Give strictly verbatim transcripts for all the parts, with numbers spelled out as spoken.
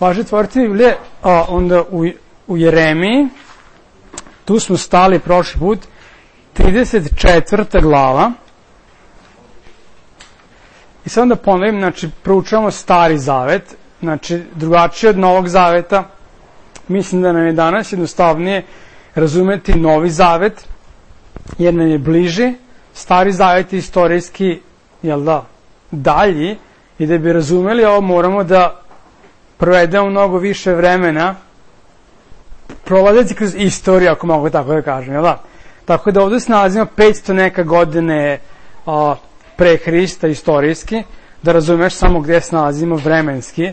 Važe otvoriti Biblije, a onda u, u Jeremiji, tu smo stali prošli put, trideset četvrta glava. I sad onda ponovim, znači, proučavamo Stari Zavet, znači, drugačije od Novog Zaveta. Mislim da nam je danas jednostavnije razumeti Novi Zavet, jer nam je bliži. Stari Zavet je istorijski, jel da, dalji, i da bi razumeli ovo moramo da provedemo mnogo više vremena prolazeći kroz istoriju, ako mogu tako da kažem, jel da? Tako da ovdje se nalazimo petsto neka godine a, pre Hrista istorijski, da razumeš samo gdje se nalazimo vremenski,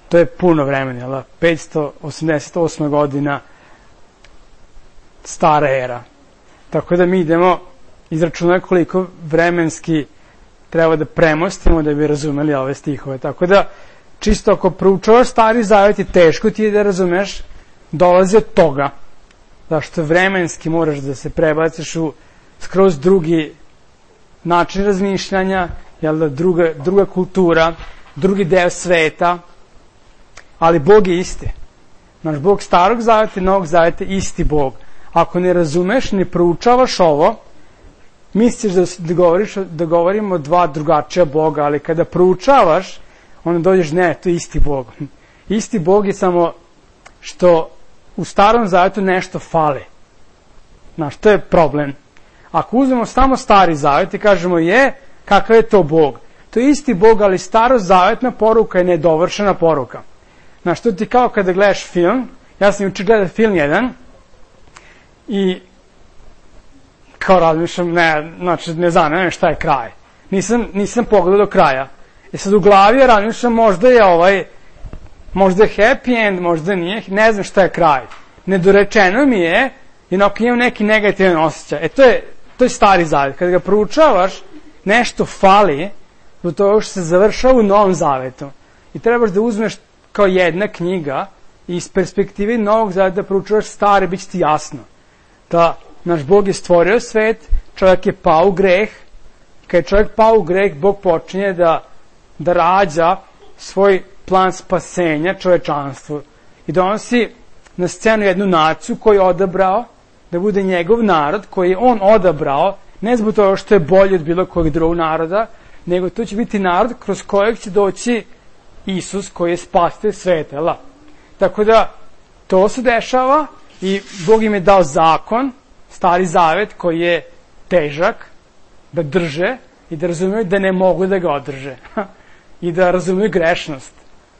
to je puno vremena, jel da? petsto osamdeset osma godina stara era. Tako da mi idemo izračunati koliko vremenski treba da premostimo da bi razumeli ove stihove. Tako da, čisto ako proučavaš Stari Zavet i teško ti je da razumeš, dolazi od toga. Zašto vremenski moraš da se prebaciš u skroz drugi način razmišljanja, jel da, druga, druga kultura, drugi deo sveta, ali Bog je isti. Naš Bog Starog Zaveta i Novog Zaveta je isti Bog. Ako ne razumeš, ne proučavaš ovo, misliš da, da, govoriš, da govorimo dva drugačija Boga, ali kada proučavaš, onda dođeš, ne, to je isti Bog. Isti Bog je samo što u Starom Zavetu nešto fali. Znaš, to je problem. Ako uzmemo samo Stari Zavet i kažemo, je, kakav je to Bog? To je isti Bog, ali starozavetna poruka je nedovršena poruka. Znaš, to ti kao kada gledaš film, ja sam juče gledao film jedan, i kao razmišljam, ne, znači, ne znam, ne šta je kraj. Nisam, nisam pogledao do kraja. I sad u glavi ja razmišljam, možda je ovaj, možda je happy end, možda nije, ne znam šta je kraj. Nedorečeno mi je, jednako imam neki negativan osjećaj. E, to je, to je Stari Zavet. Kada ga proučavaš, nešto fali, do toga što se završava u Novom Zavetu. I trebaš da uzmeš kao jedna knjiga i iz perspektive Novog Zaveta da proučavaš Stari, bit će ti jasno. Da naš Bog je stvorio svet, čovjek je pao u greh, kad je čovjek pao u greh, Bog počinje da, da rađa svoj plan spasenja čovečanstvu i donosi na scenu jednu naciju koju je odabrao da bude njegov narod, koji je on odabrao, ne zbog toga što je bolji od bilo kojeg drugog naroda, nego to će biti narod kroz kojeg će doći Isus koji je spasitelj sveta, jel? Tako da to se dešava i Bog im je dao zakon, Stari Zavet, koji je težak da drže i da razumiju da ne mogu da ga održe i da razumiju grešnost.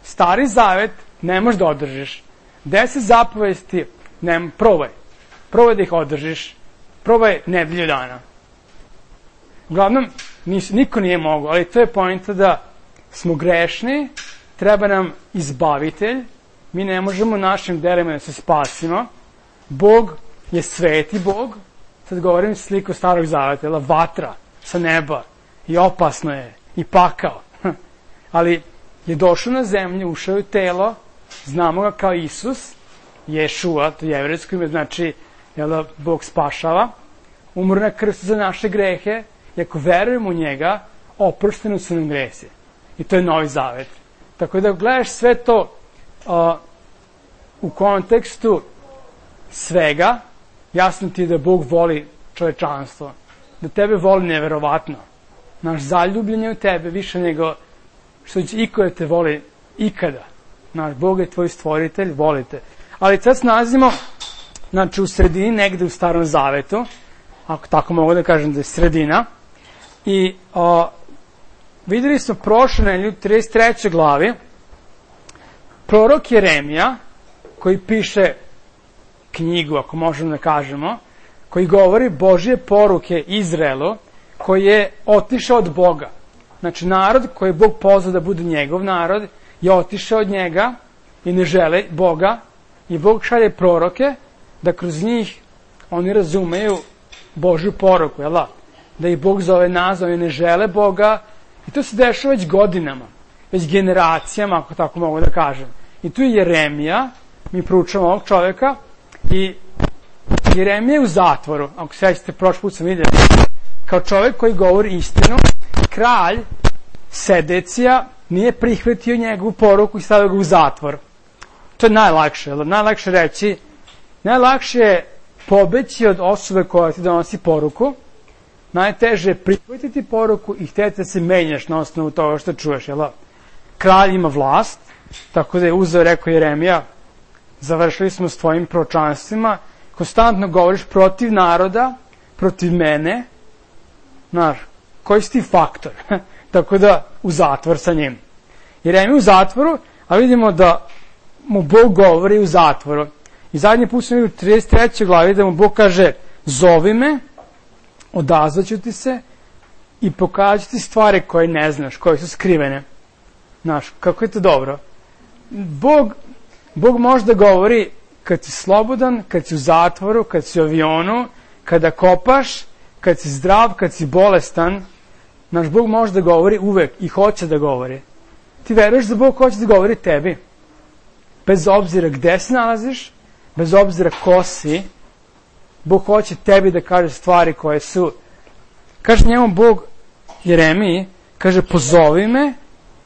Stari Zavet ne možeš da održiš. Deset zapovesti, ne, probaj. Probaj da ih održiš. Probaj nedelju dana. Uglavnom, nis, niko nije mogu, ali to je poenta da smo grešni, treba nam izbavitelj, mi ne možemo našim delima da se spasimo. Bog je sveti Bog, sad govorim sliku Starog Zaveta, jel, vatra sa neba, i opasno je, i pakao. Ali je došao na zemlju, ušao u telo, znamo ga kao Isus, Ješua, to je jevrejsko ime, znači, jel, Bog spašava, umro na krstu za naše grehe, i ako verujemo u njega, oprošteni su nam gresi. I to je Novi Zavet. Tako da gledaš sve to uh, u kontekstu svega, jasno ti je da Bog voli čovečanstvo, da tebe voli neverovatno. Naš zaljubljen je u tebe više nego što će iko da te voli ikada. Naš Bog je tvoj stvoritelj, volite. Ali sad se nalazimo, znači, u sredini, negde u Starom Zavetu, ako tako mogu da kažem da je sredina, i o, videli smo prošle nedelje u trideset trećoj glavi prorok Jeremija, koji piše knjigu, ako možemo da kažemo, koji govori Božje poruke Izraelu, koji je otišao od Boga. Znači, narod koji je Bog pozvao da bude njegov narod, je otišao od njega i ne žele Boga, i Bog šalje proroke da kroz njih oni razumeju Božju poruku, jel da? Da ih Bog zove nas, oni ne žele Boga, i to se dešava već godinama, već generacijama, ako tako mogu da kažem. I tu je Jeremija, mi proučavamo ovog čovjeka, i Jeremija je u zatvoru, ako se sećate, prošli put sam vidio, kao čovjek koji govori istinu. Kralj Sedecija nije prihvatio njegovu poruku i stavio ga u zatvor. To je najlakše, najlakše reći, najlakše je pobeći od osobe koja ti donosi poruku, najteže je prihvatiti poruku i htjeti da se menjaš na osnovu toga što čuješ, jel? Kralj ima vlast, tako da je uzeo, rekao Jeremija, završili smo s tvojim proročanstvima, konstantno govoriš protiv naroda, protiv mene, znaš, koji si ti faktor? Tako da, u zatvor sa njim. Jeremija u zatvoru, a vidimo da mu Bog govori u zatvoru. I zadnji put smo vidjeli u trideset trećoj glavi da mu Bog kaže, zovi me, odazvaću ti se i pokažu ti stvari koje ne znaš, koje su skrivene. Znaš, kako je to dobro. Bog, Bog možda govori kad si slobodan, kad si u zatvoru, kad si u avionu, kada kopaš, kad si zdrav, kad si bolestan. Naš Bog može da govori uvek i hoće da govori. Ti veruješ da Bog hoće da govori tebi. Bez obzira gde se nalaziš, bez obzira ko si, Bog hoće tebi da kaže stvari koje su. Kaže njemu Bog Jeremiji, kaže pozovi me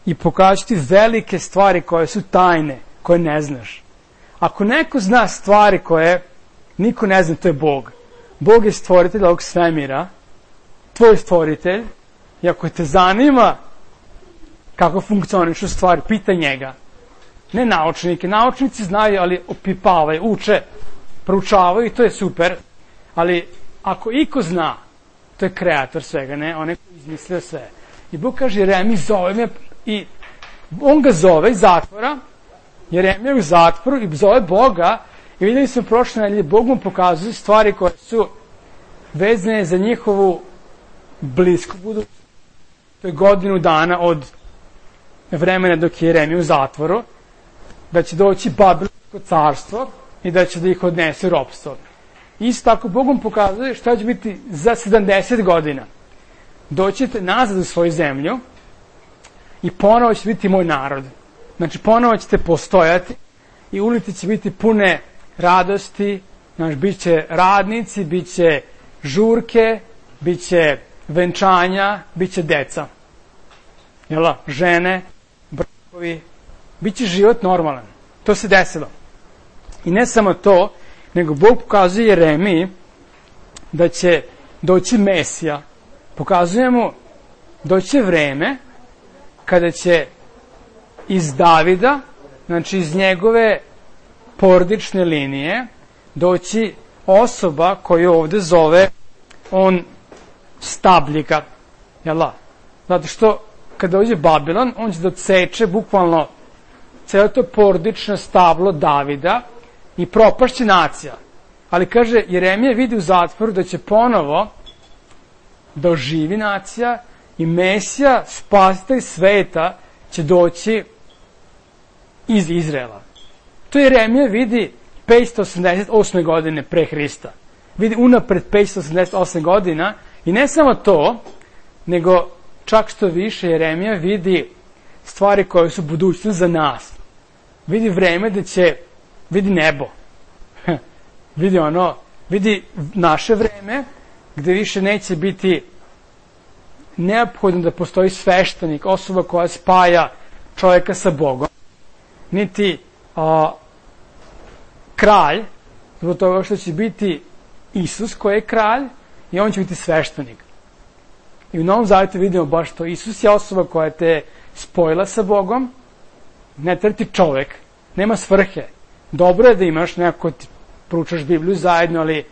i pokaži ti velike stvari koje su tajne, koje ne znaš. Ako neko zna stvari koje niko ne zna, to je Bog. Bog je stvoritelj ovog svemira, tvoj stvoritelj, i ako te zanima kako funkcionišu stvari, pitaj njega. Ne naučnike. Naučnici znaju, ali opipavaju, uče, proučavaju i to je super. Ali ako iko zna, to je kreator svega, ne? On je izmislio sve. I Bog kaže, Jeremija, zove me, i on ga zove iz zatvora, Jeremija je u zatvoru i zove Boga, i vidjeli smo prošle nedelje, Bog mu pokazuje stvari koje su vezane za njihovu blisku budućnost. To je godinu dana od vremena dok je Jeremija u zatvoru, da će doći Babilonsko carstvo i da će da ih odnese u ropstvo. Isto tako Bog mu pokazuje šta će biti za sedamdeset godina. Doćete nazad u svoju zemlju i ponovo će biti moj narod. Znači ponovo ćete postojati i ulice će biti pune radosti, znači bit će radnici, bit će žurke, bit će venčanja, bit će deca. Jel, žene, brakovi, bit će život normalan. To se desilo. I ne samo to, nego Bog pokazuje Jeremiji da će doći Mesija. Pokazuje mu doći vreme kada će iz Davida, znači iz njegove porodične linije, doći osoba koju ovde zove on stabljika. Jel' zato što kada dođe Babilon, on će da odseče bukvalno celo to porodično stablo Davida i propašće nacija. Ali kaže, Jeremija vidi u zatvoru da će ponovo da oživi nacija i Mesija, spasitelj sveta, će doći iz Izraela. To Jeremija vidi petsto osamdeset osme godine pre Hrista. Vidi unapred petsto osamdeset osme godina i ne samo to, nego čak što više Jeremija vidi stvari koje su budućnost za nas. Vidi vreme da će, vidi nebo. Vidi ono, vidi naše vreme gde više neće biti neophodno da postoji sveštenik, osoba koja spaja čovjeka sa Bogom, niti a, kralj, zbog toga što će biti Isus koji je kralj i on će biti sveštenik. I u Novom Zavjetu vidimo baš to. Isus je osoba koja te spojila sa Bogom, ne treba ti čovjek, nema svrhe. Dobro je da imaš neko ti proučaš Bibliju zajedno, ali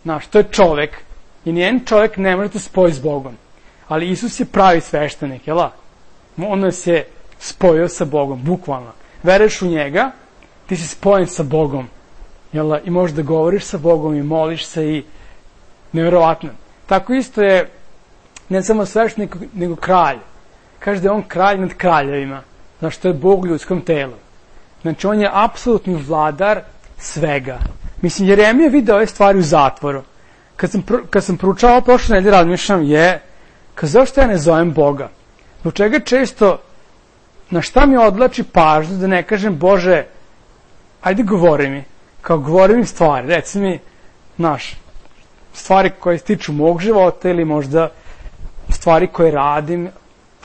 znaš, to je čovjek i nijedan čovjek ne može te spojiti s Bogom. Ali Isus je pravi sveštenik, jel' on nas je spojio sa Bogom, bukvalno. Veruješ u njega, ti si spojen sa Bogom, jel' i možeš da govoriš sa Bogom i moliš se i nevjerovatno. Tako isto je ne samo sveštenik, nego kralj. Kaže da je on kralj nad kraljevima, znaš, to je Bog u ljudskom telu. Znači, on je apsolutni vladar svega. Mislim, Jeremija vidio ove stvari u zatvoru. Kad sam, kad sam proučavao prošle nedelje, razmišljam, je, kad zašto ja ne zovem Boga? Zbog čega često, na šta mi odlači pažnju da ne kažem, Bože, ajde govori mi, kao govori mi stvari, reci mi, znaš, stvari koje se tiču mog života ili možda stvari koje radim,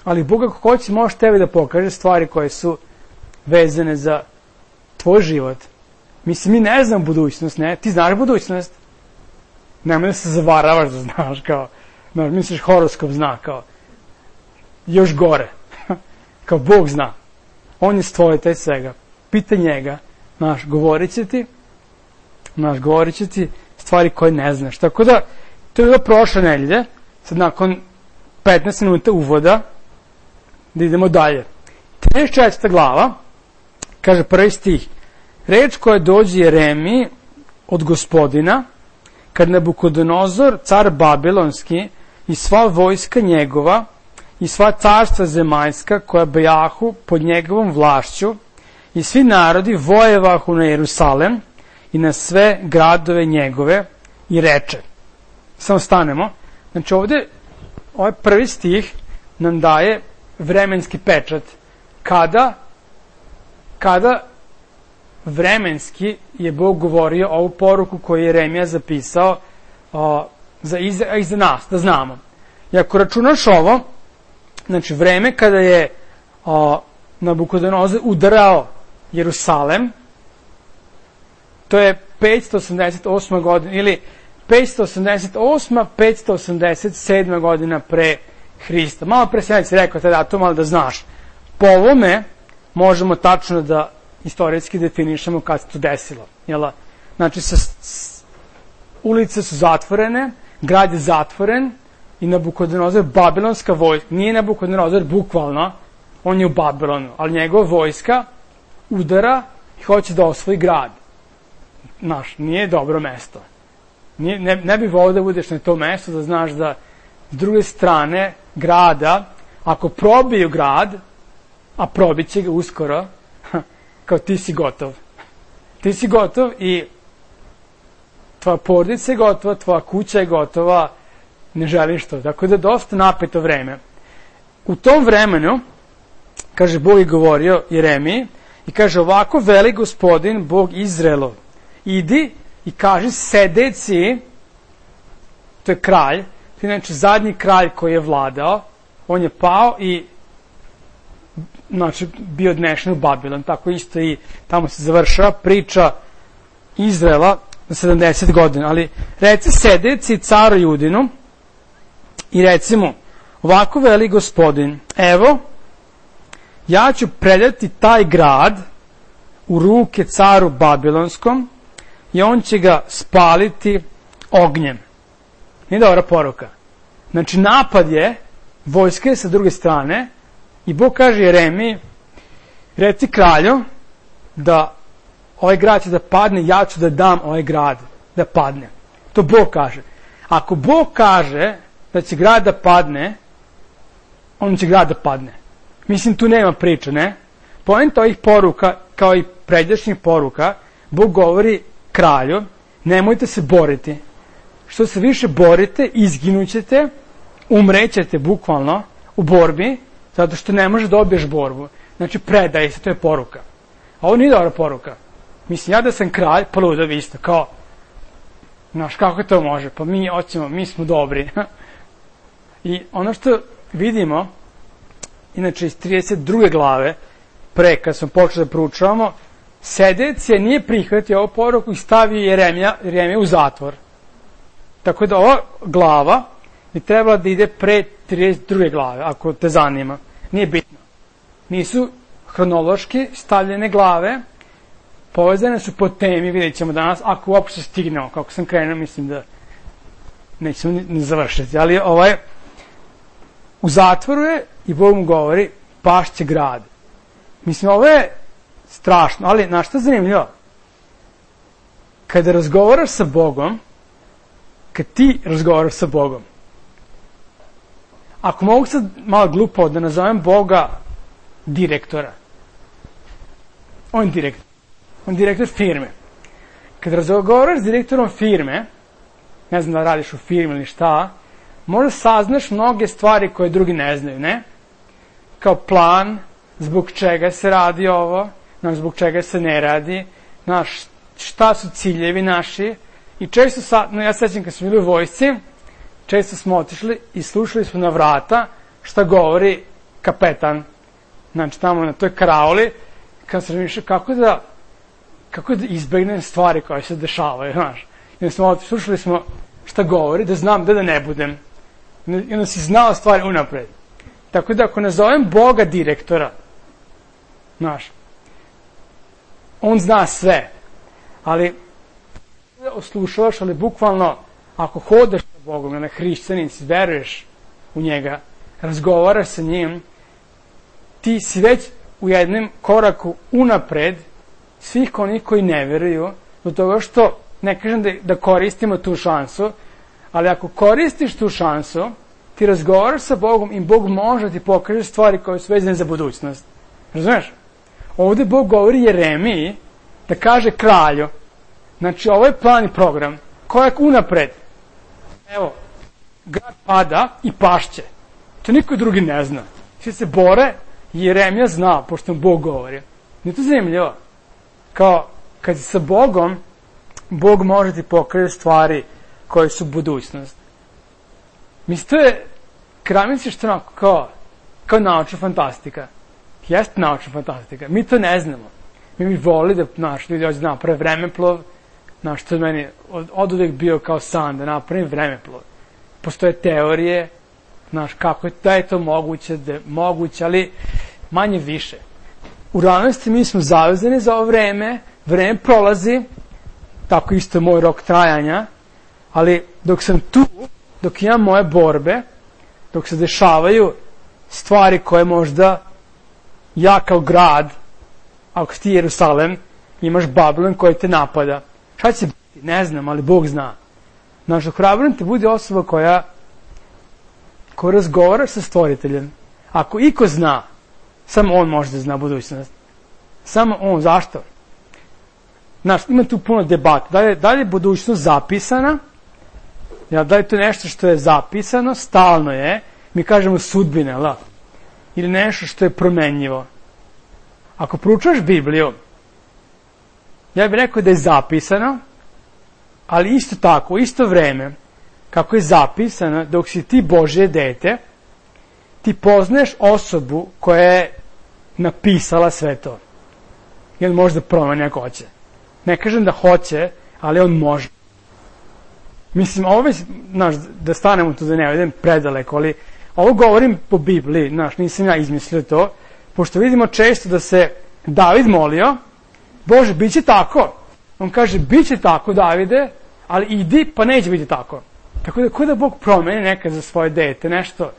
ali Bog ako hoće može tebi da pokaže stvari koje su vezane za tvoj život. Mislim, mi ne znam budućnost, ne? Ti znaš budućnost? Nemoj da se zavaravaš da znaš, kao, znaš, misliš horoskop zna, kao, još gore, kao Bog zna. On je stvoritelj svega. Pita njega, znaš, govorit će ti, znaš, govorit će ti stvari koje ne znaš. Tako da, to je bilo prošle nedelje, sad nakon petnaest minuta uvoda, da idemo dalje. trideset četvrta glava, kaže prvi stih, reč koja dođe Jeremiji od Gospodina, kad Nabukodonozor, car Babilonski, i sva vojska njegova, i sva carstva zemaljska, koja bejahu pod njegovom vlašću, i svi narodi vojevahu na Jerusalem i na sve gradove njegove, i reče. Samo stanemo. Znači ovde, ovaj prvi stih nam daje vremenski pečat. Kada, kada vremenski je Bog govorio ovu poruku koju je Jeremija zapisao o, za, i, za, i za nas, da znamo. I ako računaš ovo, znači vreme kada je o, Nabukodonozor udarao Jerusalem, to je petsto osamdeset osma godina, ili petsto osamdeset osma petsto osamdeset sedma godina pre Hrista. Malo pre sam si rekao taj datum, ali da znaš. Po ovome možemo tačno da istorijski definišemo kad se to desilo. Jel? Znači, sa, s, ulice su zatvorene, grad je zatvoren i Nabukodonozor, babilonska vojska, nije Nabukodonozor bukvalno, on je u Babilonu, ali njegova vojska udara i hoće da osvoji grad. Znaš, nije dobro mesto. Nije, ne, ne bi volio da budeš na to mesto, da znaš da s druge strane grada, ako probiju grad, a probit će ga uskoro, kao ti si gotov. Ti si gotov i tvoja porodica je gotova, tvoja kuća je gotova, ne želiš to. Tako da je dosta napeto vreme. U tom vremenu, kaže, Bog je govorio Jeremiji i kaže, ovako veli Gospodin, Bog Izraelov, idi i kaži Sedeci, to je kralj, to je znači zadnji kralj koji je vladao, on je pao i znači bio odnešen u Babilon, tako isto i tamo se završava priča Izraela za sedamdeset godina, ali reci Sedeci caru Judinu i reci mu, ovako veli Gospodin, evo, ja ću predati taj grad u ruke caru Babilonskom i on će ga spaliti ognjem. Nije dobra poruka. Znači, napad je, vojska je sa druge strane i Bog kaže Jeremiji, reci kralju da ovaj grad će da padne, ja ću da dam ovaj grad da padne. To Bog kaže. Ako Bog kaže da će grad da padne, on će grad da padne. Mislim, tu nema priča, ne? Poenta ovih poruka, kao i pređašnjih poruka, Bog govori kralju, nemojte se boriti. Što se više borite, izginućete, umrećete bukvalno u borbi, zato što ne može da dobiješ borbu. Znači, predaj se, to je poruka. A ovo nije dobra poruka. Mislim, ja da sam kralj, pa ludo vi isto, kao, znaš, kako to može? Pa mi hoćemo, mi smo dobri. I ono što vidimo, inače iz trideset druge glave, pre kad smo počeli da proučavamo, Sedecija nije prihvatio ovu poruku i stavio Jeremija, Jeremija u zatvor. Tako da ova glava bi trebala da ide pre trideset druge glave, ako te zanima. Nije bitno. Nisu hronološki stavljene glave, povezane su po temi, vidjet ćemo danas, ako uopšte stignemo, kako sam krenuo, mislim da nećemo ni, ni završiti. Ali ovaj, u zatvoru je i Bog mu govori, pašće grad. Mislim, ovo je strašno, ali znaš šta je zanimljivo? Kada razgovaraš sa Bogom, kad ti razgovaraš sa Bogom, ako mogu sad malo glupo da nazovem Boga direktora, on je direktor, on je direktor firme. Kad razgovaraš s direktorom firme, ne znam da radiš u firmi ili šta, možda saznaš mnoge stvari koje drugi ne znaju, ne? Kao plan, zbog čega se radi ovo, znaš, zbog čega se ne radi, znaš, šta su ciljevi naši. I često, sa, no ja sećam kad smo bili u vojsci, često smo otišli i slušali smo na vrata šta govori kapetan. Znači, tamo na toj karaoli, kad sam razmišljao kako da kako da izbegnem stvari koje se dešavaju, znaš. I smo, slušali smo šta govori, da znam da da ne budem. I onda si znao stvari unapred. Tako da ako nazovem Boga direktora, znaš, on zna sve, ali oslušavaš, ali bukvalno ako hodaš sa Bogom, na hrišćanici, veruješ u njega, razgovaraš sa njim, ti si već u jednom koraku unapred svih onih koji ne veruju, do toga što, ne kažem da, da koristimo tu šansu, ali ako koristiš tu šansu, ti razgovaraš sa Bogom i Bog može ti pokaže stvari koje su vezane za budućnost. Razumeš? Ovde Bog govori Jeremiji da kaže kralju, znači ovo je plan i program, korak unapred. Evo, grad pada i pašće. To niko drugi ne zna. Svi se bore i Jeremija zna, pošto mu Bog govori. Nije to zanimljivo? Kao, kad si sa Bogom, Bog može ti pokaže stvari koje su budućnost. Mislim, to je, kada misliš što onako kao, kao naučna fantastika. Jeste naučna fantastika. Mi to ne znamo. Mi bi volili da naš ljudi hoće da naprave vremeplov, naš, to je meni od, od uvek bio kao san, da napravim vremeplov. Postoje teorije, znaš, kako je, da je to moguće, da je moguće, ali manje više. U realnosti mi smo zavezani za ovo vreme, vreme prolazi, tako isto je moj rok trajanja, ali dok sam tu, dok imam moje borbe, dok se dešavaju stvari koje možda ja kao grad, ako ti Jerusalem, imaš Babilon koji te napada. Šta će biti? Ne znam, ali Bog zna. Znaš, ohrabrujem te bude osoba koja ko razgovara sa stvoriteljem. Ako iko zna, samo on može da zna budućnost. Samo on. Zašto? Znaš, ima tu puno debata. Da li, da li je budućnost zapisana? Ja, da li je to nešto što je zapisano, stalno je, mi kažemo sudbine, la? Ili nešto što je promenljivo? Ako proučavaš Bibliju, ja bih rekao da je zapisano, ali isto tako, isto vreme, kako je zapisano, dok si ti Božje dete, ti poznaješ osobu koja je napisala sve to. I on može da promeni ako hoće. Ne kažem da hoće, ali on može. Mislim, ovo već, znaš, da stanemo tu da ne idem predaleko, ali ovo govorim po Bibliji, znaš, nisam ja izmislio to, pošto vidimo često da se David molio, Bože, bit će tako. On kaže, bit će tako, Davide, ali idi, pa neće biti tako. Tako da, ko da Bog promeni nekad za svoje dete, nešto,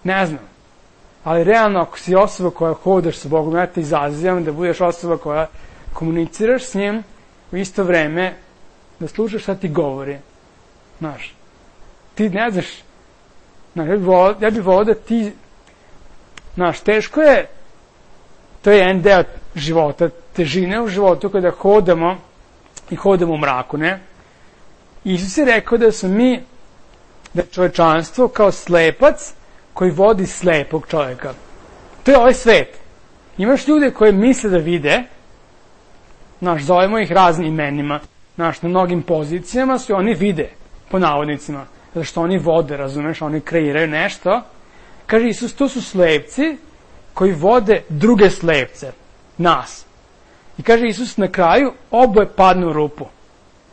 ne znam. Ali realno, ako si osoba koja hodaš sa Bogom, ja te izazivam da budeš osoba koja komuniciraš s njim u isto vreme, da slušaš šta ti govori. Znaš, ti ne znaš, znaš, ja bih volao, ja bih volao da ti, znaš, teško je, to je jedan deo života, težine u životu kada hodamo i hodamo u mraku, ne? Isus je rekao da su mi, da je čovečanstvo kao slepac koji vodi slepog čovjeka. To je ovaj svet. Imaš ljude koji misle da vide, znaš, zovemo ih raznim imenima, znaš, na mnogim pozicijama su oni vide, po navodnicima, zato što oni vode, razumeš, oni kreiraju nešto. Kaže Isus, to su slepci koji vode druge slepce, nas. I kaže Isus na kraju, oboje padnu u rupu,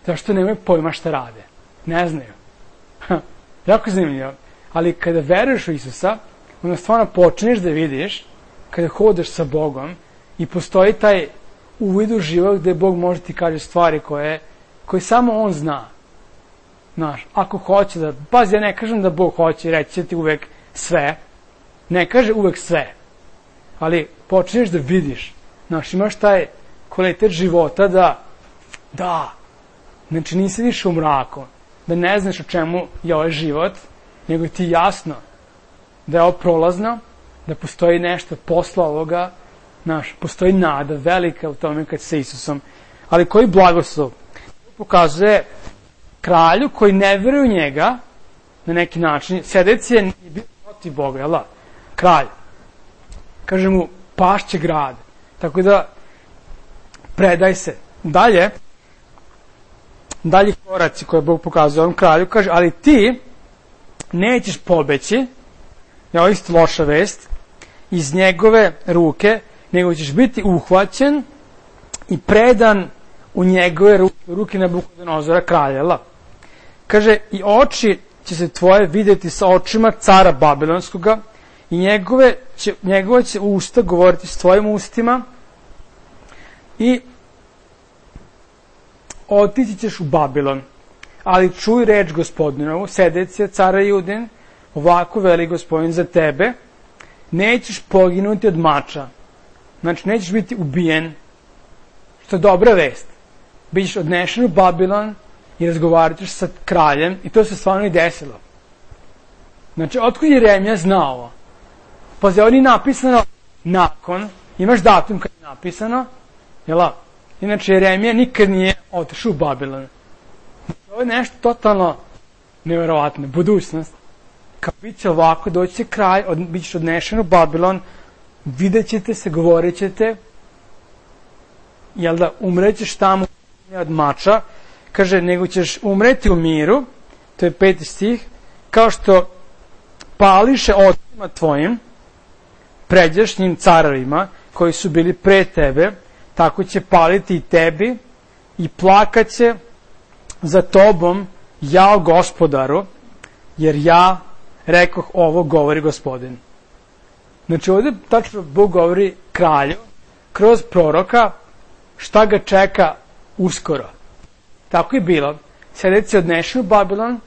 zašto nemaju pojma šta rade. Ne znaju. Ha, jako zanimljivo. Ali kada veruješ u Isusa, onda stvarno počneš da vidiš, kada hodeš sa Bogom i postoji taj uvid u život gde Bog može ti kaže stvari koje, koje samo On zna. Znaš, ako hoće da, pazi, ja ne kažem da Bog hoće reći će ti uvek sve, ne kaže uvek sve, ali počneš da vidiš, znaš, imaš taj kvalitet života da, da, znači nisi više u mraku, da ne znaš o čemu je ovaj život, nego ti jasno da je ovo prolazno, da postoji nešto posle ovoga, znaš, postoji nada velika u tome kad sa Isusom. Ali koji blagoslov pokazuje kralju koji ne veruje u njega, na neki način, sedeci je bio protiv Boga, jel da? Kralj. Kaže mu, pašće grad. Tako da, predaj se. Dalje, dalje koraci koje Bog pokazuje ovom kralju, kaže, ali ti nećeš pobeći, je ovo isto loša vest, iz njegove ruke, nego ćeš biti uhvaćen i predan u njegove ruke, ruke Nabukodonozora kralja. Kaže, i oči će se tvoje vidjeti sa očima cara Babilonskoga i njegove će, njegove će usta govoriti s tvojim ustima i otići ćeš u Babilon. Ali čuj reč Gospodinovu, Sedecija, cara Judin, ovako veli Gospodin za tebe, nećeš poginuti od mača. Znači, nećeš biti ubijen, što je dobra vest. Bićeš odnešen u Babilon i razgovarat ćeš sa kraljem i to se stvarno i desilo. Znači, otkud je Jeremija znao ovo? Pazi, ovdje je napisano nakon, imaš datum kad je napisano, jel? Inače, Jeremija nikad nije otišao u Babilon. Ovo je nešto totalno nevjerovatno, budućnost. Kao bit će ovako, doći će kraj, od, bit ćeš odnešen u Babilon, vidjet ćete se, govorit ćete, jel da, umrećeš tamo od mača, kaže, nego ćeš umreti u miru, to je peti stih, kao što pališe ocima tvojim, pređašnjim carovima, koji su bili pre tebe, tako će paliti i tebi i plakaće za tobom, jao Gospodaru, jer ja rekoh ovo, govori Gospodin. Znači ovdje tačno Bog govori kralju kroz proroka šta ga čeka uskoro. Tako je bilo. Sedeci je odnešen u Babilon,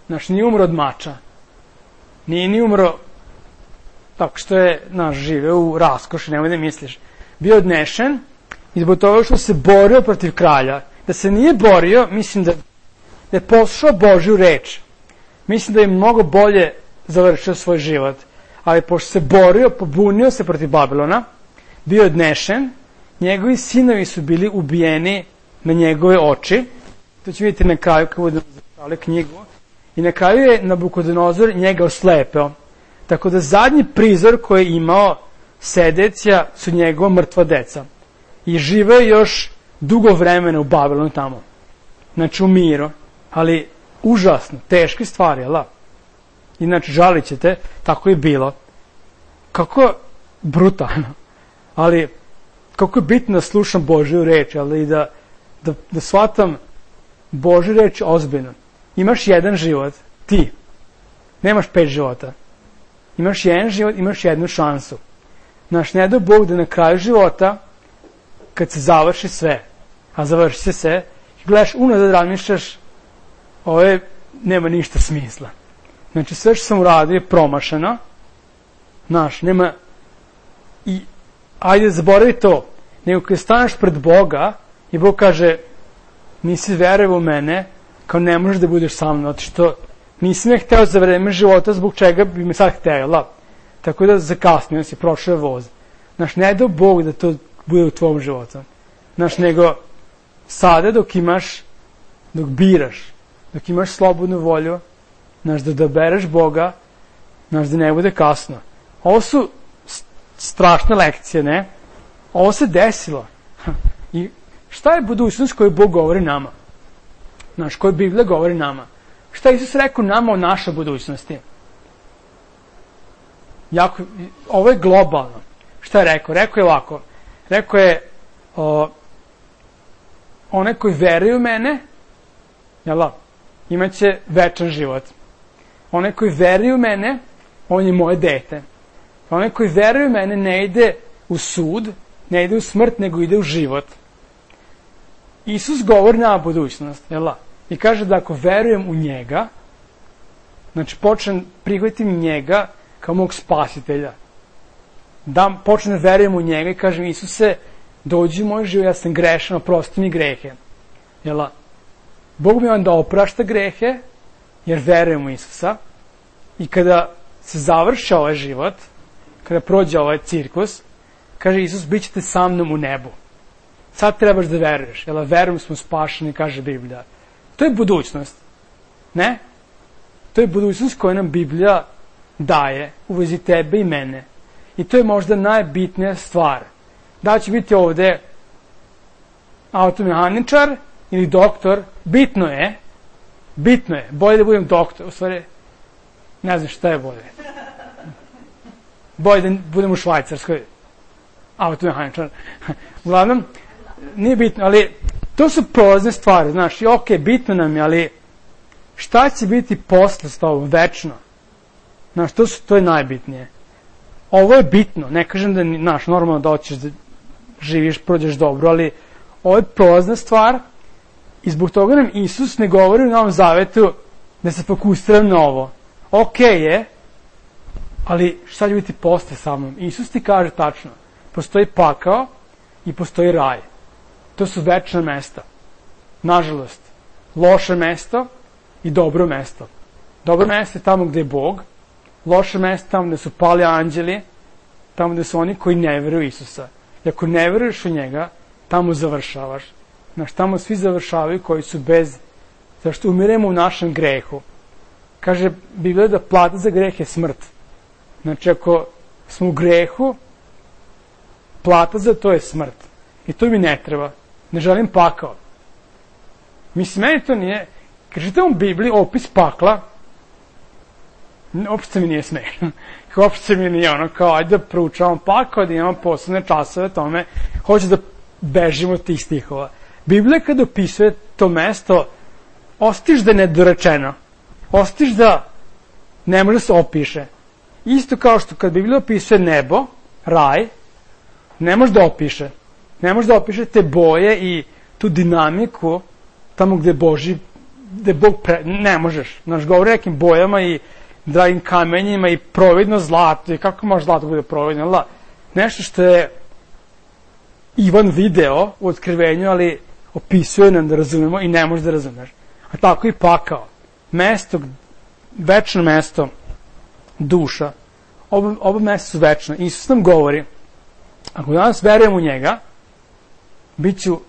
znači nije umro od mača, nije ni umro tako što je, znaš, živeo u raskoši, nemoj da misliš. Bio odnešen i zbog toga što se borio protiv kralja. Da se nije borio, mislim da, da je poslušao Božju reč. Mislim da je mnogo bolje završio svoj život. Ali pošto se borio, pobunio se protiv Babilona, bio odnešen, njegovi sinovi su bili ubijeni na njegove oči. To će vidjeti na kraju kad budemo završali knjigu. I na kraju je Nabukodonozor njega oslepeo. Tako da zadnji prizor koji je imao Sedecija su njegova mrtva deca. I živeo još dugo vremena u Babilonu tamo. Znači u miru. Ali užasno, teške stvari, jel? Inače, žalit ćete, tako je bilo. Kako brutalno. Ali, kako je bitno da slušam Božju reč, ali i da, da, da shvatam Božju reč ozbiljno. Imaš jedan život, ti. Nemaš pet života. Imaš jedan život, imaš jednu šansu. Znaš, ne da Bog da na kraju života, kad se završi sve, a završi se sve, gledaš unazad, razmišljaš, ovo je, nema ništa smisla. Znači, sve što sam uradio je promašeno. Znaš, nema, i, ajde, zaboravi to. Nego kad staneš pred Boga i Bog kaže, nisi verovao u mene, kao ne možeš da budeš sa mnom, zato što nisam je hteo za vreme života, zbog čega bi me sad htela. Tako da zakasnio si, prošao je voz. Znaš, ne da Bog da to bude u tvojom životu. Znaš, nego sada dok imaš, dok biraš, dok imaš slobodnu volju, znaš, da odabereš Boga, znaš, da ne bude kasno. Ovo su strašne lekcije, ne? Ovo se desilo. I šta je budućnost koju Bog govori nama? Znaš, koju Biblija govori nama? Šta je Isus rekao nama o našoj budućnosti? Jako, ovo je globalno. Šta je rekao? Rekao je ovako. Rekao je, o, one koji veruju u mene, jel, imaće večan život. One koji veruju u mene, on je moje dete. One koji veruju u mene ne ide u sud, ne ide u smrt, nego ide u život. Isus govori na budućnost, jel? I kaže da ako verujem u njega, znači počnem prihvatim njega kao mog spasitelja. Da počnem da verujem u njega i kažem, Isuse, dođi u moj život, ja sam grešan, oprosti mi grehe. Jel? Bog mi onda oprašta grehe, jer verujem u Isusa. I kada se završi ovaj život, kada prođe ovaj cirkus, kaže Isus, bit ćete sa mnom u nebu. Sad trebaš da veruješ, jel? Verujem smo spašeni, kaže Biblija. To je budućnost. Ne? To je budućnost koju nam Biblija daje u vezi tebe i mene. I to je možda najbitnija stvar. Da će biti ovde automehaničar ili doktor, bitno je, bitno je, bolje da budem doktor, u stvari, ne znam šta je bolje. Bolje da budem u Švajcarskoj automehaničar. Uglavnom, nije bitno, ali to su prolazne stvari, znaš, i okej, bitno nam je, ali šta će biti posle s tobom, večno? Znaš, to, su, to je najbitnije. Ovo je bitno, ne kažem da je, znaš, normalno da hoćeš da živiš, prođeš dobro, ali ovo je prolazna stvar i zbog toga nam Isus ne govori u Novom Zavetu da se fokusiram na ovo. Okej je, ali šta će biti posle sa mnom? Isus ti kaže tačno, postoji pakao i postoji raj. To su večna mesta. Nažalost, loše mesto i dobro mesto. Dobro mesto je tamo gde je Bog, loše mesto tamo gde su pali anđeli, tamo gde su oni koji ne veruju Isusa. I ako ne veruješ u njega, tamo završavaš. Znaš, tamo svi završavaju koji su bez, zašto umiremo u našem grehu. Kaže Biblija da plata za greh je smrt. Znači, ako smo u grehu, plata za to je smrt. I to mi ne treba. Ne želim pakao. Mislim, meni to nije... Kad čitam u Bibliji opis pakla, uopšte mi nije smešno. Uopšte mi nije ono kao, ajde da proučavam pakao, da imamo posebne časove tome, hoću da bežimo od tih stihova. Biblija kad opisuje to mesto, ostiš da je nedorečeno. Ostiš da ne može se opiše. Isto kao što kad Biblija opisuje nebo, raj, ne može da opiše. Ne može da opiše te boje i tu dinamiku tamo gde Boži, gde Bog pre... Ne možeš. Znaš, govori nekim bojama i dragim kamenjima i providno zlato. I kako može zlato bude providno? La, nešto što je Ivan video u otkrivenju, ali opisuje nam da razumemo i ne može da razumeš. A tako i pakao. Mesto, večno mesto, duša. Oba, oba mesta su večna. Isus nam govori, ako danas verujem u njega, bit ću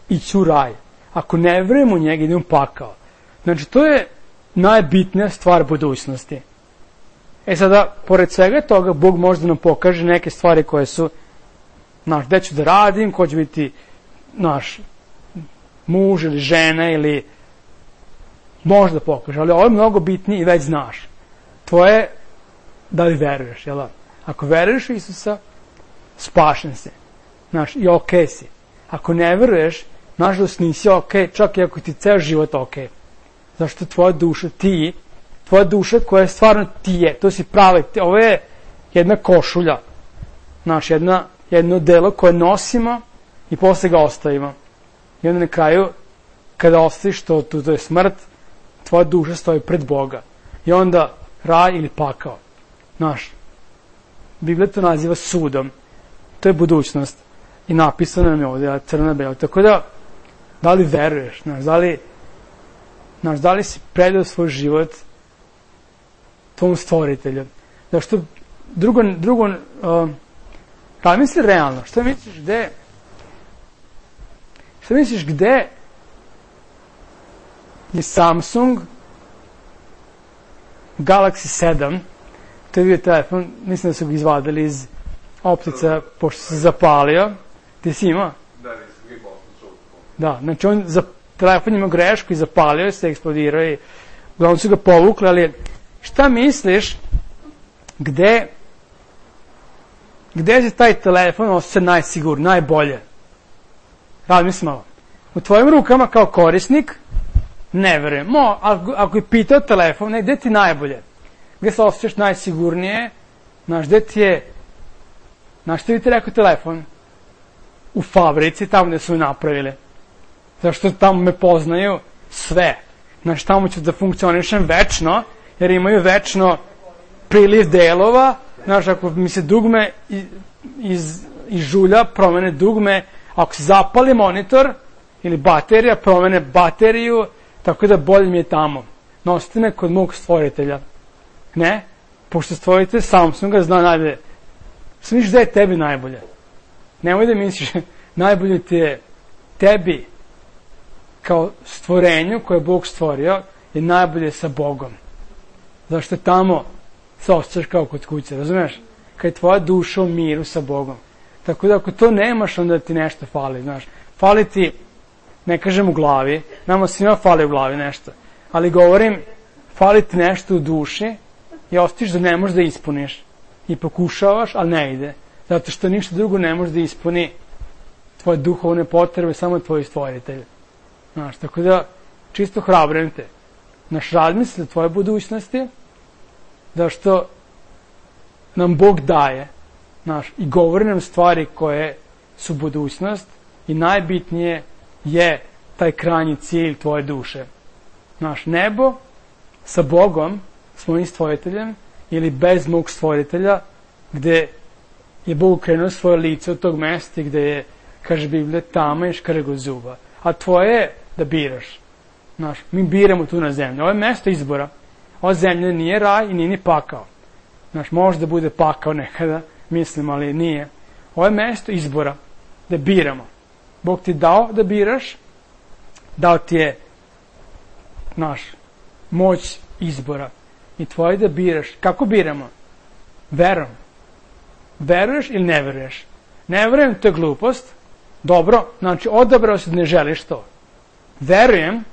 ići u raj. Ako ne verujem u njega, idem u pakao. Znači, to je najbitnija stvar budućnosti. E sada, pored svega toga, Bog može da nam pokaže neke stvari koje su, znaš, gde ću da radim, ko će biti naš muž ili žena ili može da pokaže, ali ovo je mnogo bitnije i već znaš. Tvoje, da li veruješ, jel da? Ako veruješ u Isusa, spašen si. Znaš, i okej si. Ako ne veruješ, nažalost nisi okej, čak i ako ti ceo život okej. Zašto tvoja duša, ti, tvoja duša koja je stvarno ti je, to si pravi, ovo je jedna košulja, znaš, jedna, jedno delo koje nosimo i posle ga ostavimo. I onda na kraju, kada ostaviš to, to, to je smrt, tvoja duša stoji pred Boga. I onda raj ili pakao. Znaš, Biblija to naziva sudom. To je budućnost. I napisano nam je ovdje, crno belo. Tako da, da li veruješ, znaš, da li, znaš, da li si predao svoj život tvom stvoritelju? Zašto, drugo, drugo, uh, da misli realno, šta misliš gde, šta misliš gde je Samsung Galaxy sedam, to je bio telefon, mislim da su ga izvadili iz optica, pošto se zapalio. Ti si imao? Da, nisam ga imao. Da, znači on za telefon ima grešku i zapalio se, eksplodirao i uglavnom su ga povukli, ali šta misliš gde gde se taj telefon osjeća najsigur, najbolje? Razmisli malo. U tvojim rukama kao korisnik, ne verujem. Mo, ako, ako je pitao telefon, ne, gde ti najbolje? Gde se osjećaš najsigurnije? Znaš, gde ti je, znaš što bi ti rekao telefon? U fabrici, tamo gde su napravili. Zašto tamo me poznaju sve. Znaš, tamo ću da funkcionišem večno, jer imaju večno priliv delova. Znaš, ako mi se dugme iz, iz, iz žulja, promene dugme, ako se zapali monitor ili baterija, promene bateriju, tako da bolje mi je tamo. Nosite me kod mog stvoritelja. Ne? Pošto stvoritelj Samsunga zna najbolje. Smiš da je tebi najbolje. Nemoj da misliš, najbolje ti je tebi kao stvorenju koje je Bog stvorio, je najbolje sa Bogom. Zašto tamo se osjećaš kao kod kuće, razumeš? Kad je tvoja duša u miru sa Bogom. Tako da ako to nemaš, onda ti nešto fali, znaš. Fali ti, ne kažem u glavi, nama svima fali u glavi nešto, ali govorim, fali ti nešto u duši i osjetiš da ne možeš da ispuniš. I pokušavaš, ali ne ide. Zato što ništa drugo ne može da ispuni tvoje duhovne potrebe samo tvoj stvoritelj. Znaš, tako da čisto hrabrujem te. Naš razmisli o tvoje budućnosti, da što nam Bog daje, znaš, i govori nam stvari koje su budućnost i najbitnije je taj krajnji cilj tvoje duše. Znaš, nebo sa Bogom, s mojim stvoriteljem, ili bez mog stvoritelja, gde je Bog krenuo svoje lice od tog mesta gde je, kaže Biblija, tama i škrgo zuba. A tvoje je da biraš. Znaš, mi biramo tu na zemlji. Ovo je mesto izbora. Ova zemlja nije raj i nije ni pakao. Znaš, može da bude pakao nekada, mislim, ali nije. Ovo je mesto izbora, da biramo. Bog ti dao da biraš, dao ti je, znaš, moć izbora. I tvoje da biraš. Kako biramo? Verom. Veruješ ili ne veruješ? Ne verujem, to je glupost. Dobro, znači odabrao si da ne želiš to. Verujem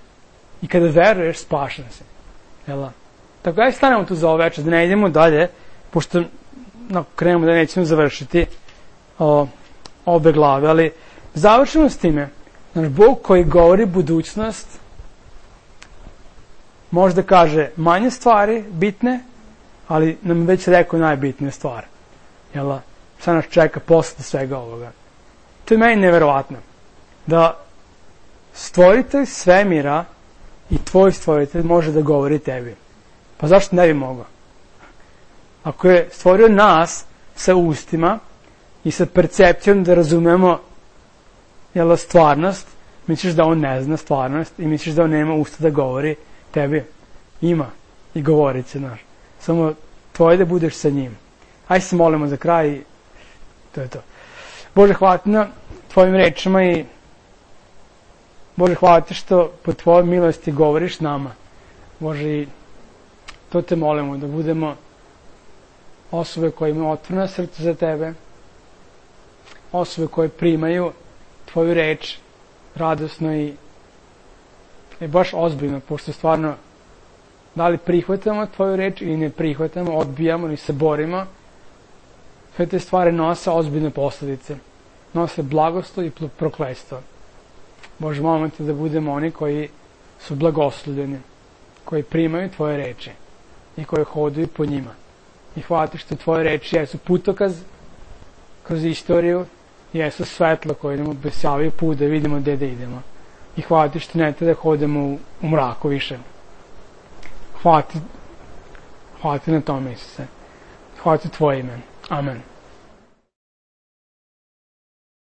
i kada veruješ, spašen si. Jela? Tako aj stanemo tu za ovo večer, da ne idemo dalje, pošto no, krenemo da nećemo završiti o, obe glave, ali završimo s time. Znaš, Bog koji govori budućnost, možda kaže manje stvari, bitne, ali nam već rekao najbitnije stvari. Jela? Šta nas čeka posle svega ovoga? To je meni neverovatno. Da stvoritelj svemira i tvoj stvoritelj može da govori tebi. Pa zašto ne bi mogao? Ako je stvorio nas sa ustima i sa percepcijom da razumemo jela, stvarnost, misliš da on ne zna stvarnost i misliš da on nema usta da govori tebi? Ima. I govorit će, znaš. Samo tvoje da budeš sa njim. Ajde se molimo za kraj i to je to. Bože, hvala ti na tvojim rečima i Bože, hvala ti što po tvojoj milosti govoriš nama. Bože, i to te molimo, da budemo osobe koje imaju otvoreno srce za tebe, osobe koje primaju tvoju reč radosno i, i baš ozbiljno, pošto stvarno da li prihvatamo tvoju reč ili ne prihvatamo, odbijamo ili se borimo, sve te stvari nose ozbiljne posledice. Nose blagoslov i prokletstvo. Bože, molimo te da budemo oni koji su blagoslovljeni, koji primaju tvoje reči i koji hodaju po njima. I hvala ti što tvoje reči jesu putokaz kroz istoriju, jesu svetlo koje nam obesjavaju put da vidimo gde da idemo. I hvala ti što ne te da hodemo u, u mraku više. Hvala ti, hvala ti na tome, Isuse. Hvala ti tvoje ime. Amen.